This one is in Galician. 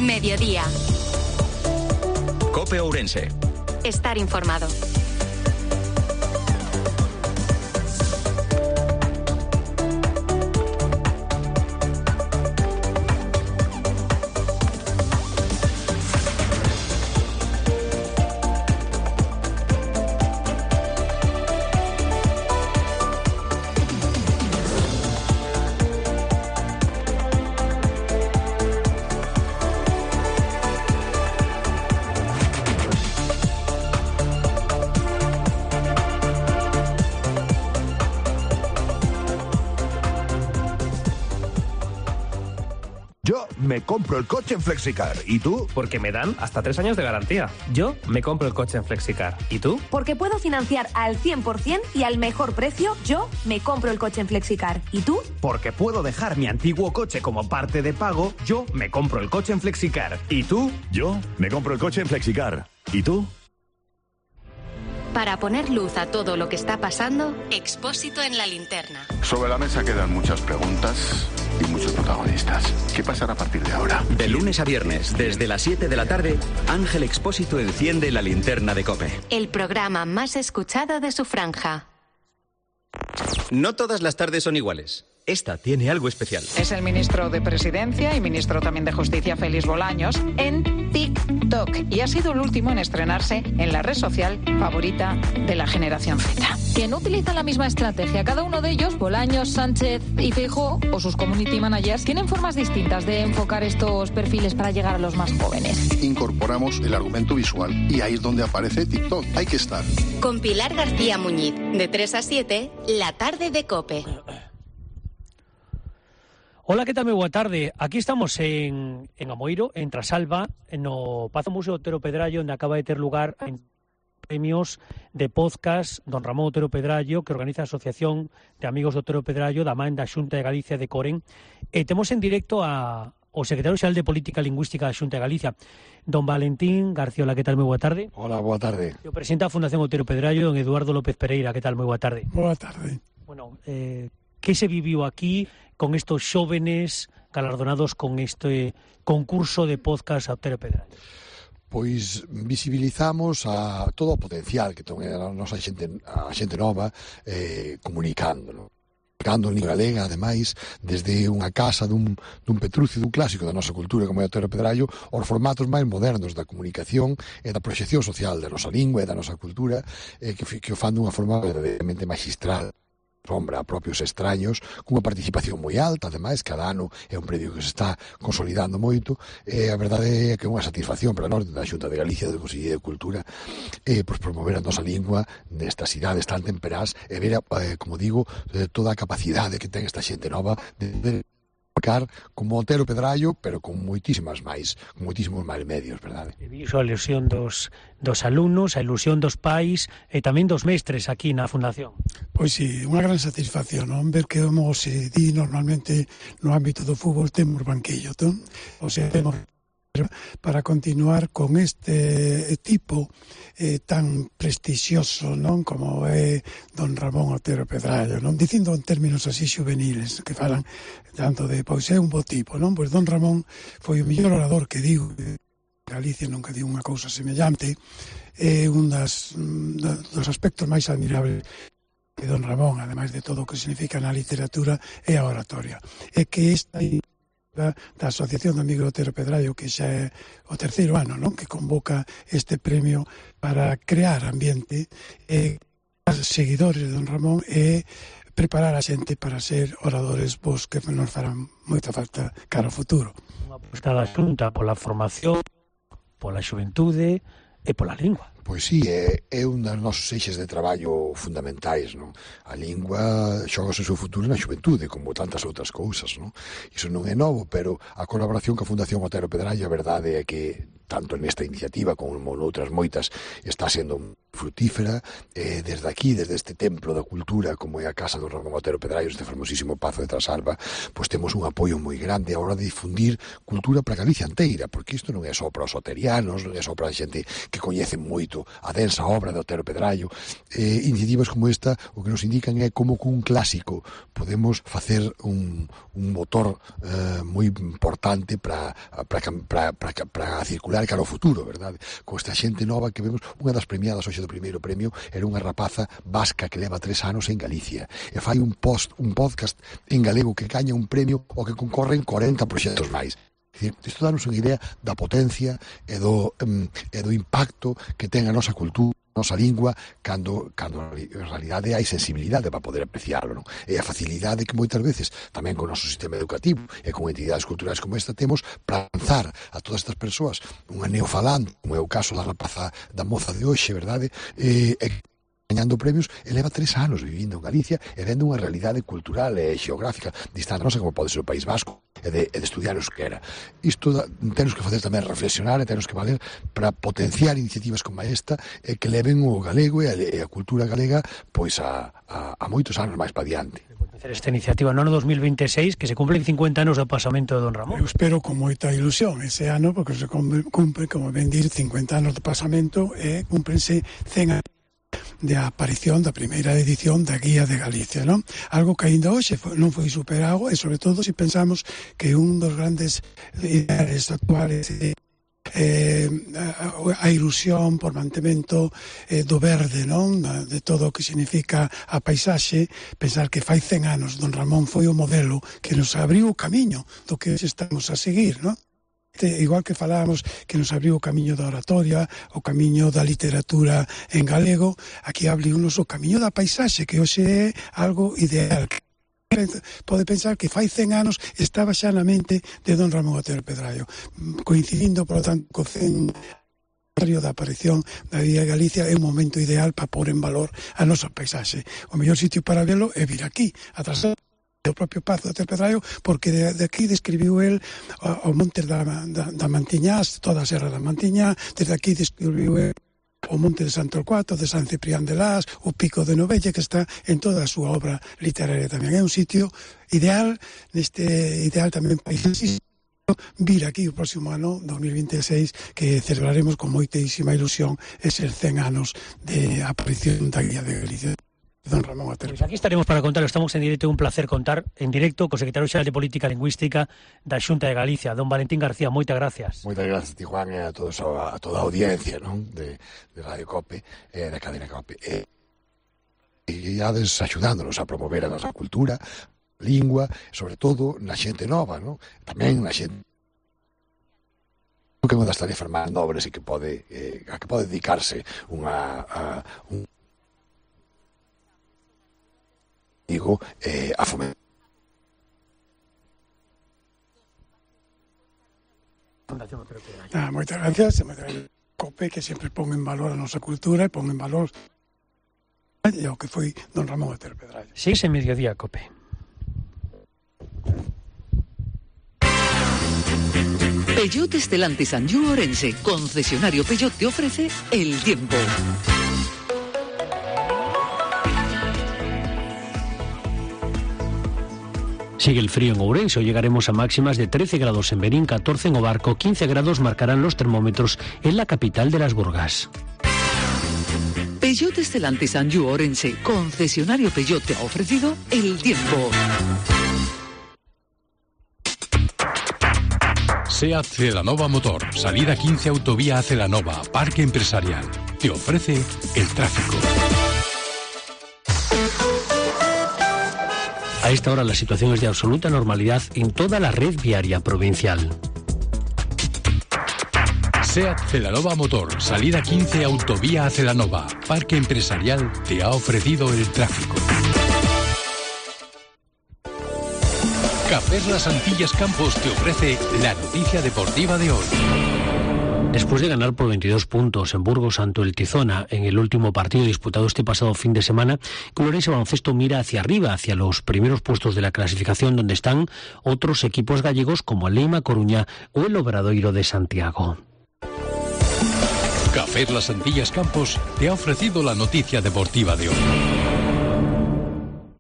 Mediodía. COPE Ourense. Estar informado. Yo me compro el coche en Flexicar. ¿Y tú? Porque me dan hasta 3 años de garantía. Yo me compro el coche en Flexicar. ¿Y tú? Porque puedo financiar al 100% y al mejor precio. Yo me compro el coche en Flexicar. ¿Y tú? Porque puedo dejar mi antiguo coche como parte de pago. Yo me compro el coche en Flexicar. ¿Y tú? Yo me compro el coche en Flexicar. ¿Y tú? Para poner luz a todo lo que está pasando, Expósito en la linterna. Sobre la mesa quedan muchas preguntas y muchos protagonistas. ¿Qué pasará a partir de ahora? De lunes a viernes, desde las 7 de la tarde, Ángel Expósito enciende la linterna de COPE. El programa más escuchado de su franja. No todas las tardes son iguales. Esta tiene algo especial. Es el ministro de Presidencia y ministro también de Justicia, Félix Bolaños, en TikTok. Y ha sido el último en estrenarse en la red social favorita de la generación Z. Que no utilizan la misma estrategia. Cada uno de ellos, Bolaños, Sánchez y Feijóo, o sus community managers, tienen formas distintas de enfocar estos perfiles para llegar a los más jóvenes. Incorporamos el argumento visual y ahí es donde aparece TikTok. Hay que estar. Con Pilar García Muñiz, de 3 a 7, la tarde de COPE. Hola, que tal? Moi boa tarde. Aquí estamos en Amoeiro, en Trasalba, no Pazo Museo Otero Pedrallo, onde acaba de ter lugar en premios de podcast Don Ramón Otero Pedrallo, que organiza a Asociación de Amigos de Otero Pedrallo, da man da Xunta de Galicia de Coren. Temos en directo ao secretario xeral de Política Lingüística da Xunta de Galicia, don Valentín Garciola. Que tal? Moi boa tarde. Hola, boa tarde. O presidente da Fundación Otero Pedrallo, don Eduardo López Pereira. Que tal? Moi boa tarde. Boa tarde. Bueno, que se viviu aquí con estos xóvenes galardonados con este concurso de podcast a Otero Pedrallo? Pois visibilizamos a todo o potencial que ten a nosa xente nova comunicando, non? Comunicando en lingua galega, ademais, desde unha casa dun Petrucio, dun clásico da nosa cultura como é Otero Pedrallo, aos formatos máis modernos da comunicación e da proxección social da nosa lingua e da nosa cultura, que o fan dunha forma verdadeiramente magistral. Sombra a propios extraños, cunha participación moi alta, ademais, cada ano é un predio que se está consolidando moito, e a verdade é que é unha satisfacción para nós da Xunta de Galicia, do Conselleiro de Cultura, pois promover a nosa lingua nestas cidades tan temperás e ver, como digo, toda a capacidade que ten esta xente nova de como Otero Pedrallo, pero con moitísimos máis medios, verdade? Viso a ilusión dos alumnos, a ilusión dos pais e tamén dos mestres aquí na Fundación. Pois sí, unha gran satisfacción, non? Ver que como se di normalmente no ámbito do fútbol temos banquillo, non? O sea, temos para continuar con este tipo tan prestixioso, non, como é don Ramón Otero Pedrallo, non, dicindo en términos así xuveniles que falan tanto de, pois é un bo tipo, non, pois don Ramón foi o mellor orador que digo, Galicia nunca diu unha cousa semellante, é un dos aspectos máis admirables de don Ramón, ademais de todo o que significa na literatura, é a oratoria, é que esta da Asociación de Amigos de Otero Pedrallo, que xa é o terceiro ano, non, que convoca este premio para crear ambiente seguidores de don Ramón e preparar a xente para ser oradores vos que nos farán moita falta cara ao futuro. Unha aposta da Xunta pola formación, pola xuventude e pola lingua. Pois sí, é un dos nosos eixes de traballo fundamentais, non? A lingua xoga o seu futuro na xuventude, como tantas outras cousas, non? Iso non é novo, pero a colaboración ca Fundación Otero Pedrallo, a verdade é que tanto nesta iniciativa como noutras moitas, está sendo frutífera. Desde aquí, desde este templo da cultura como é a Casa do Ramón Otero Pedraio, este famosísimo Pazo de Trasalba, pois temos un apoio moi grande a hora de difundir cultura para Galicia inteira, porque isto non é só para os oterianos, non é só para a xente que coñece moito a densa obra de Otero Pedraio. Iniciativas como esta o que nos indican é como cun clásico podemos facer un motor moi importante para circular cara ao futuro, verdade? Con esta xente nova que vemos, unha das premiadas hoxe do primeiro premio era unha rapaza vasca que leva 3 anos en Galicia e fai un podcast en galego que gaña un premio o que concorren 40 proxectos máis. Isto danos unha idea da potencia e do impacto que ten a nosa cultura, a nosa lingua, cando en realidade hai sensibilidade para poder apreciarlo, non? E a facilidade que moitas veces tamén con o noso sistema educativo e con entidades culturais como esta temos para lanzar a todas estas persoas unha neofalante, como é o caso da rapaza da moza de hoxe, verdade? Gañando premios, e leva 3 anos vivindo en Galicia e vendo unha realidade cultural e xeográfica distante nosa como pode ser o País Vasco e de estudiar euskera. Isto temos que facer tamén reflexionar e temos que valer para potenciar iniciativas como esta e que leven o galego e a cultura galega pois a moitos anos máis para diante. Esta iniciativa no ano 2026, que se cumplen 50 anos do pasamento de Don Ramón. Eu espero con moita ilusión ese ano, porque se cumpre, como ben dir, 50 anos do pasamento e cúmprense 100 anos de aparición da primeira edición da Guía de Galicia, non? Algo que aínda hoxe non foi superado, e sobre todo se pensamos que un dos grandes ideales actuales a ilusión por mantemento do verde, non? De todo o que significa a paisaxe. Pensar que fai 100 anos Don Ramón foi o modelo que nos abriu o camiño do que estamos a seguir, non? Igual que falábamos que nos abriu o camiño da oratoria, o camiño da literatura en galego, aquí abriu-nos o camiño da paisaxe, que hoxe é algo ideal. Pode pensar que fai 100 anos estaba xa na mente de Don Ramón Otero Pedraio, coincidindo, por lo tanto, co 100 da aparición da Guía de Galicia. É un momento ideal para pôr en valor a nosa paisaxe. O mellor sitio para velo é vir aquí, atrás o propio Pazo de Otero Pedraio, porque de aquí describiu el o monte da Mantiñá, toda a Serra da Mantiñá. Desde aquí describiu el o monte de San Torcuato, de San Ciprián de Las, o Pico de Novella, que está en toda a súa obra literaria tamén. É un sitio ideal, ideal tamén paisaxístico, vir aquí o próximo ano, 2026, que celebraremos con moitísima ilusión eses 100 anos de aparición da Guía de Galicia. Don Ramón Otero. Pues aquí estaremos para contarlo, estamos en directo, un placer contar en directo co secretario xeral de Política Lingüística da Xunta de Galicia, don Valentín García. Moitas gracias. Moitas gracias a ti, Juan, e a toda a audiencia, non? De Radio Cope, da cadena Cope. E ades axudándonos a promover a nosa cultura, lingua, sobre todo na xente nova, non? Tamén na xente que é unha das tarefas máis nobres e que pode dedicarse un a fomentar. Moitas gracias, Cope, que sempre pon en valor a nosa cultura e pon en valor o que foi Don Ramón Otero Pedraio. Sí, ese mediodía, Cope. Peugeot Stellantis Anjou Orense, concesionario Peugeot, te ofrece el tiempo. Sigue el frío en Ourense, hoy llegaremos a máximas de 13 grados en Berín, 14 en Obarco, 15 grados marcarán los termómetros en la capital de las Burgas. Peugeot Stellantis Anjou Orense, concesionario Peugeot, te ha ofrecido el tiempo. SEAT Celanova Motor, salida 15 autovía a Celanova, Parque Empresarial. Te ofrece el tráfico. A esta hora la situación es de absoluta normalidad en toda la red viaria provincial. SEAT Celanova Motor, salida 15 autovía a Celanova, Parque Empresarial, te ha ofrecido el tráfico. Cafés Las Antillas Campos te ofrece la noticia deportiva de hoy. Después de ganar por 22 puntos en Burgos ante el Tizona en el último partido disputado este pasado fin de semana, el Ourense Baloncesto mira hacia arriba, hacia los primeros puestos de la clasificación, donde están otros equipos gallegos como el Leima Coruña o el Obradoiro de Santiago. Café Las Antillas Campos te ha ofrecido la noticia deportiva de hoy.